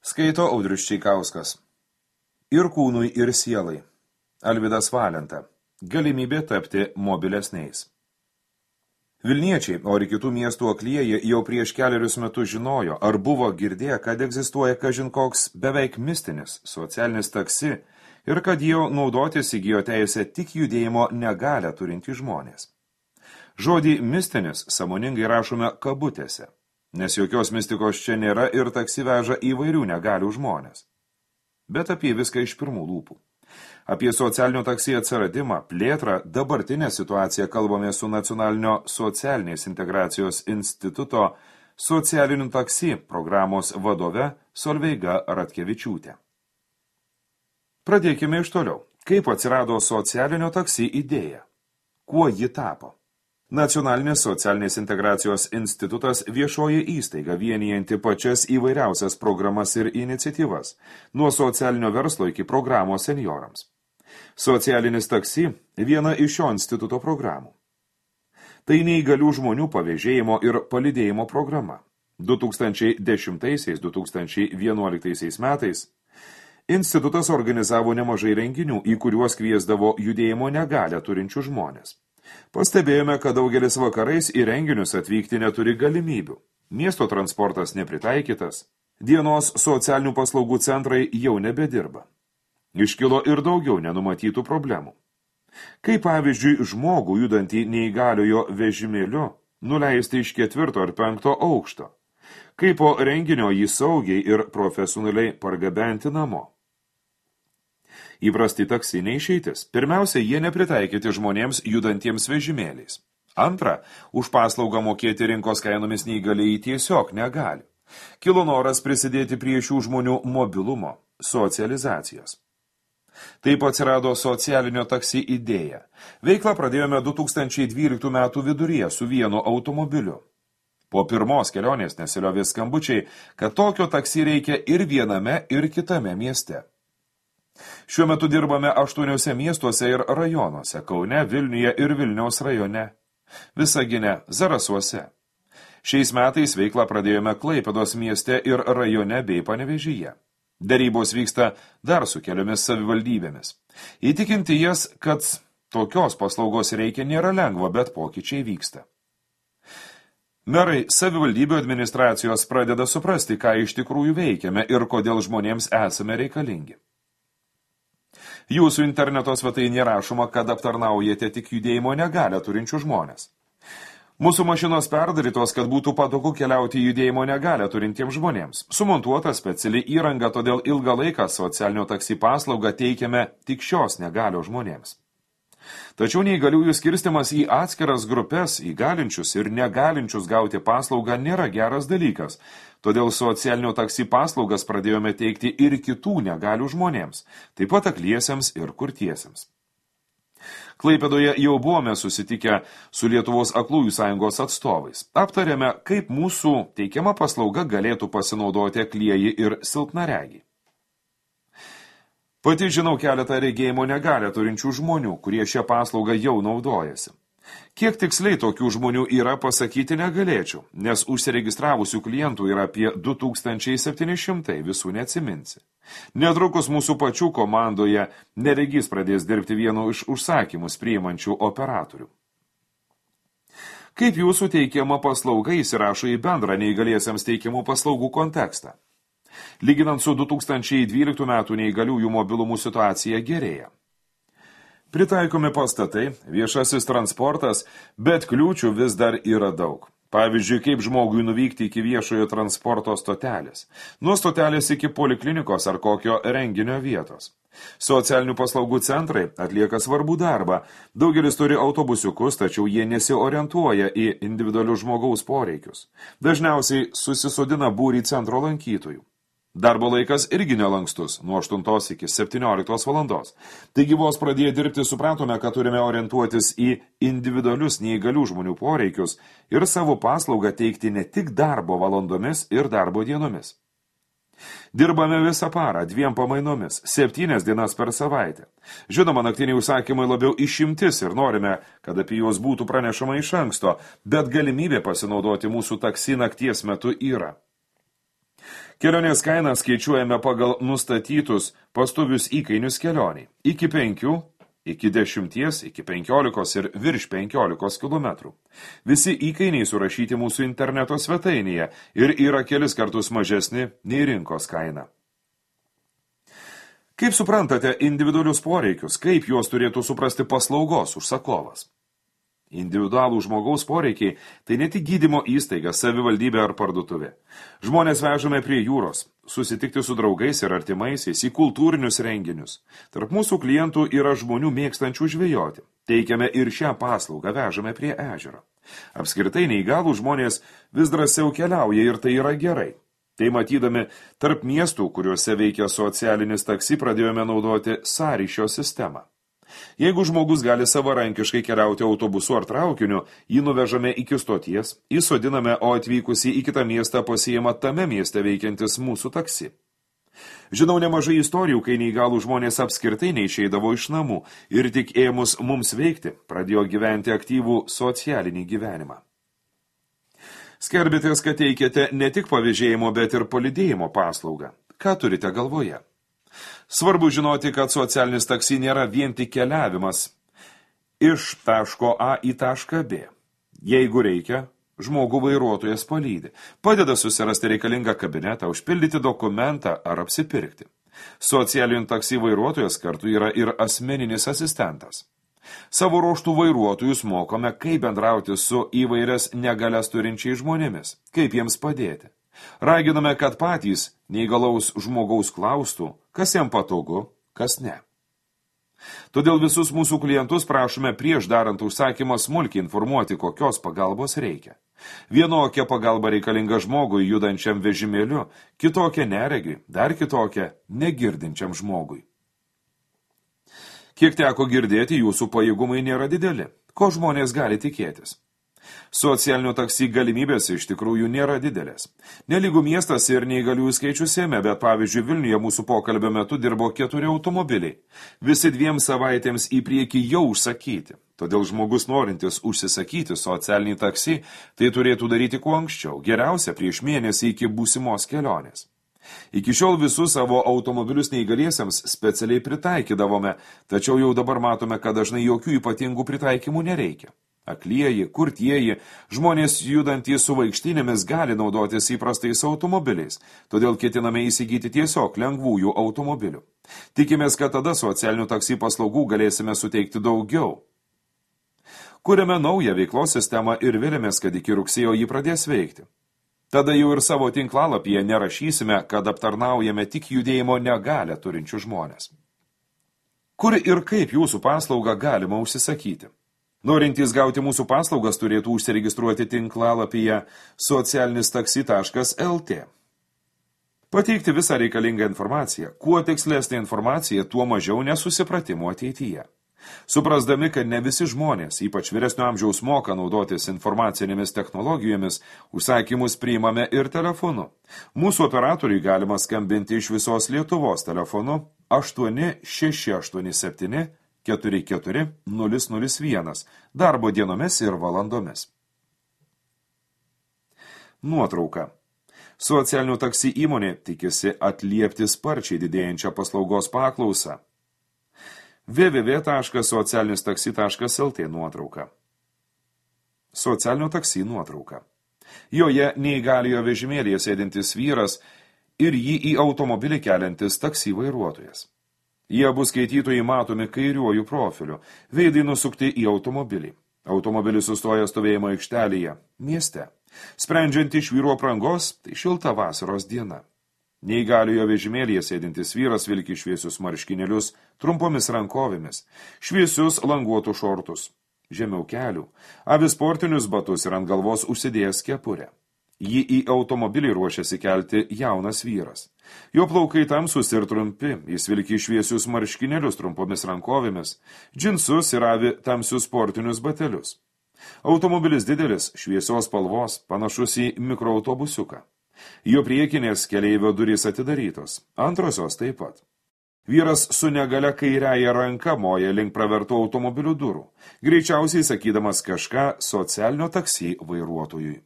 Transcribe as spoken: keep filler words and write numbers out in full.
Skaito Audrius Čeikauskas. Ir kūnui, ir sielai. Alvydas Valenta. Galimybė tapti mobilesniais. Vilniečiai, o ir kitų miestų aklieji jau prieš keliarius metus žinojo, ar buvo girdėję, kad egzistuoja kažin koks beveik mistinis socialinis taksi ir kad jau naudotis įgijo teisę tik judėjimo negalią turintys žmonės. Žodį mistinis sąmoningai rašome kabutėse, nes jokios mistikos čia nėra ir taksi veža įvairių negalių žmonės. Bet apie viską iš pirmų lūpų. Apie socialinio taksi atsiradimą, plėtrą, dabartinę situaciją kalbame su Nacionalinio socialinės integracijos instituto socialinių taksi programos vadove Solveiga Ratkevičiūtė. Pradėkime iš toliau. Kaip atsirado socialinio taksi idėja? Kuo ji tapo? Nacionalinės socialinės integracijos institutas viešoji įstaiga vienijanti pačias įvairiausias programas ir iniciatyvas, nuo socialinio verslo iki programos seniorams. Socialinis taksi – viena iš šio instituto programų. Tai neįgalių žmonių pavėžėjimo ir palydėjimo programa. du tūkstančiai dešimtaisiais - du tūkstančiai vienuoliktaisiais metais institutas organizavo nemažai renginių, į kuriuos kviesdavo judėjimo negalią turinčių žmonės. Pastebėjome, kad daugelis vakarais į renginius atvykti neturi galimybių. Miesto transportas nepritaikytas. Dienos socialinių paslaugų centrai jau nebedirba. Iškilo ir daugiau nenumatytų problemų. Kaip pavyzdžiui žmogų judantį neįgaliojo vežimėliu nuleisti iš ketvirto ar penkto aukšto. Kaip po renginio jį saugiai ir profesionaliai pargabenti namo. Įprasti taksi neišeitis. Pirmiausia, jie nepritaikyti žmonėms judantiems vežimėliais. Antra, už paslaugą mokėti rinkos kainomis neįgaliai tiesiog negali. Kilo noras prisidėti prie šių žmonių mobilumo, socializacijos. Taip atsirado socialinio taksi idėja. Veiklą pradėjome du tūkstančiai dvyliktų metų viduryje su vienu automobiliu. Po pirmos kelionės nesiliovė skambučiai, kad tokio taksi reikia ir viename, ir kitame mieste. Šiuo metu dirbame aštuoniuose miestuose ir rajonuose – Kaune, Vilniuje ir Vilniaus rajone, Visagine, Zarasuose. Šiais metais veiklą pradėjome Klaipėdos mieste ir rajone bei Panevėžyje. Derybos vyksta dar su keliomis savivaldybėmis. Įtikinti jas, kad tokios paslaugos reikia, nėra lengva, bet pokyčiai vyksta. Merai savivaldybių administracijos pradeda suprasti, ką iš tikrųjų veikiame ir kodėl žmonėms esame reikalingi. Jūsų interneto svetainėje rašoma, kad aptarnaujate tik judėjimo negalią turinčių žmonės. Mūsų mašinos perdarytos, kad būtų patogu keliauti judėjimo negalią turintiems žmonėms. Sumontuota speciali įranga, todėl ilgą laiką socialinio taksi paslaugą teikiame tik šios negalios žmonėms. Tačiau neįgaliųjų skirstimas į atskiras grupės, įgalinčius ir negalinčius gauti paslaugą nėra geras dalykas, todėl socialinio taksi paslaugas pradėjome teikti ir kitų negalių žmonėms, taip pat akliesiems ir kurtiesiems. Klaipėdoje jau buvome susitikę su Lietuvos aklųjų sąjungos atstovais. Aptarėme, kaip mūsų teikiama paslauga galėtų pasinaudoti aklieji ir silpnaregiai. Pati žinau keletą regėjimo negalią turinčių žmonių, kurie šią paslaugą jau naudojasi. Kiek tiksliai tokių žmonių yra, pasakyti negalėčiau, nes užsiregistravusių klientų yra apie du tūkstančiai septyni šimtai, visų neatsiminsi. Netrukus mūsų pačių komandoje neregys pradės dirbti vienu iš užsakymus priimančių operatorių. Kaip jūsų teikiama paslauga įsirašo į bendrą neįgaliesiems teikiamų paslaugų kontekstą? Lyginant su du tūkstančiai dvyliktų metų neįgaliųjų mobilumų situacija gerėja. Pritaikomi pastatai, viešasis transportas, bet kliūčių vis dar yra daug. Pavyzdžiui, kaip žmogui nuvykti iki viešojo transporto stotelės, nuo stotelės iki poliklinikos ar kokio renginio vietos. Socialinių paslaugų centrai atlieka svarbų darbą. Daugelis turi autobusiukus, tačiau jie nesiorientuoja į individualius žmogaus poreikius. Dažniausiai susisodina būrį centro lankytojų. Darbo laikas irgi nelankstus, nuo aštuntos iki septynioliktos valandos. Taigi vos pradėję dirbti supratome, kad turime orientuotis į individualius neįgalių žmonių poreikius ir savo paslaugą teikti ne tik darbo valandomis ir darbo dienomis. Dirbame visą parą, dviem pamainomis, septynias dienas per savaitę. Žinoma, naktiniai užsakymai labiau išimtis ir norime, kad apie juos būtų pranešama iš anksto, bet galimybė pasinaudoti mūsų taksi nakties metu yra. Kelionės kainą skaičiuojame pagal nustatytus pastovius įkainius kelioniai. Iki penkių, iki dešimties, iki penkiolikos ir virš penkiolikos kilometrų. Visi įkainiai surašyti mūsų interneto svetainėje ir yra kelis kartus mažesni nei rinkos kaina. Kaip suprantate individualius poreikius, kaip juos turėtų suprasti paslaugos užsakovas? Individualų žmogaus poreikiai tai ne tik gydymo įstaiga, savivaldybė ar parduotuvė. Žmonės vežame prie jūros, susitikti su draugais ir artimaisiais, į kultūrinius renginius. Tarp mūsų klientų yra žmonių mėgstančių žvejoti. Teikiame ir šią paslaugą, vežame prie ežero. Apskritai neįgalų žmonės vis drąsiau keliauja ir tai yra gerai. Tai matydami, tarp miestų, kuriuose veikia socialinis taksi, pradėjome naudoti sąryšio sistemą. Jeigu žmogus gali savarankiškai keliauti autobusu ar traukiniu, jį nuvežame iki stoties, įsodiname, o atvykusi į kitą miestą pasiima tame mieste veikiantis mūsų taksi. Žinau nemažai istorijų, kai neįgalų žmonės apskritai neišeidavo iš namų ir tik ėmus mums veikti, pradėjo gyventi aktyvų socialinį gyvenimą. Skelbėtės, kad teikiate ne tik pavėžėjimo, bet ir palydėjimo paslaugą. Ką turite galvoje? Svarbu žinoti, kad socialinis taksi nėra vien tik keliavimas iš taško A į tašką B. Jeigu reikia, žmogų vairuotojas palydi, padeda susirasti reikalingą kabinetą, užpildyti dokumentą ar apsipirkti. Socialinių taksi vairuotojas kartu yra ir asmeninis asistentas. Savo ruoštų vairuotojus mokome, kaip bendrauti su įvairias negalias turinčiais žmonėmis, kaip jiems padėti. Raginame, kad patys neįgalaus žmogaus klaustų, kas jam patogu, kas ne. Todėl visus mūsų klientus prašome prieš darant užsakymą smulkiai informuoti, kokios pagalbos reikia. Vienokia pagalba reikalinga žmogui judančiam vežimėliu, kitokia neregiui, dar kitokia negirdinčiam žmogui. Kiek teko girdėti, jūsų pajėgumai nėra dideli. Ko žmonės gali tikėtis? Socialinių taksi galimybės iš tikrųjų nėra didelės. Nelygų miestas ir neįgaliųjų skaičius ėmė, bet pavyzdžiui Vilniuje mūsų pokalbio metu dirbo keturi automobiliai. Visi dviem savaitėms į priekį jau užsakyti. Todėl žmogus norintis užsisakyti socialinį taksi, tai turėtų daryti kuo anksčiau, geriausia prieš mėnesį iki būsimos kelionės. Iki šiol visus savo automobilius neįgaliesiems specialiai pritaikydavome, tačiau jau dabar matome, kad dažnai jokių ypatingų pritaikymų nereikia. Aklieji, kurtieji, žmonės judantys su vaikštynėmis gali naudotis įprastais automobiliais, todėl ketiname įsigyti tiesiog lengvųjų automobilių. Tikimės, kad tada socialinių taksi paslaugų galėsime suteikti daugiau. Kuriame naują veiklos sistemą ir vėlėmės, kad iki rugsėjo jį pradės veikti. Tada jau ir savo tinklalapyje nerašysime, kad aptarnaujame tik judėjimo negalę turinčių žmonės. Kur ir kaip jūsų paslaugą galima užsisakyti? Norintys gauti mūsų paslaugas turėtų užsiregistruoti tinklalapyje socialinis taksi taškas el tė. Pateikti visą reikalingą informaciją. Kuo tikslesnė informacija, tuo mažiau nesusipratimų ateityje. Suprasdami, kad ne visi žmonės, ypač vyresnio amžiaus, moka naudotis informacinėmis technologijomis, užsakymus priimame ir telefonu. Mūsų operatoriui galima skambinti iš visos Lietuvos telefonu aštuoni šeši aštuoni septyni keturi keturi nulis nulis vienas darbo dienomis ir valandomis. Nuotrauka. Socialinių taksi įmonė tikisi atliepti sparčiai didėjančią paslaugos paklausą. w w w taškas socialinis taksi taškas el tė nuotrauka. Socialinio taksi nuotrauka. Joje neįgaliojo vežimėlėje sėdintis vyras ir jį į automobilį keliantis taksi vairuotojas. Jie abu skaitytojai matomi kairiuoju profiliu, veidai nusukti į automobilį. Automobilis sustoja stovėjimo aikštelėje, mieste. Sprendžiant iš vyro aprangos, tai šilta vasaros diena. Neįgaliojo vežimėlėje sėdintis vyras vilki šviesius marškinėlius, trumpomis rankovėmis, šviesius languotus šortus, žemiau kelių, avi sportinius batus ir ant galvos užsidėjęs kepurę. Jį į automobilį ruošiasi kelti jaunas vyras. Jo plaukai tamsus ir trumpi, jis vilki šviesius marškinėlius trumpomis rankovėmis, džinsus ir avi tamsius sportinius batelius. Automobilis didelis, šviesios spalvos, panašus į mikroautobusiuką. Jo priekinės keleivio durys atidarytos, antrosios taip pat. Vyras su negalia kairiaja ranka moja link pravertų automobilių durų, greičiausiai sakydamas kažką socialinio taksi vairuotojui.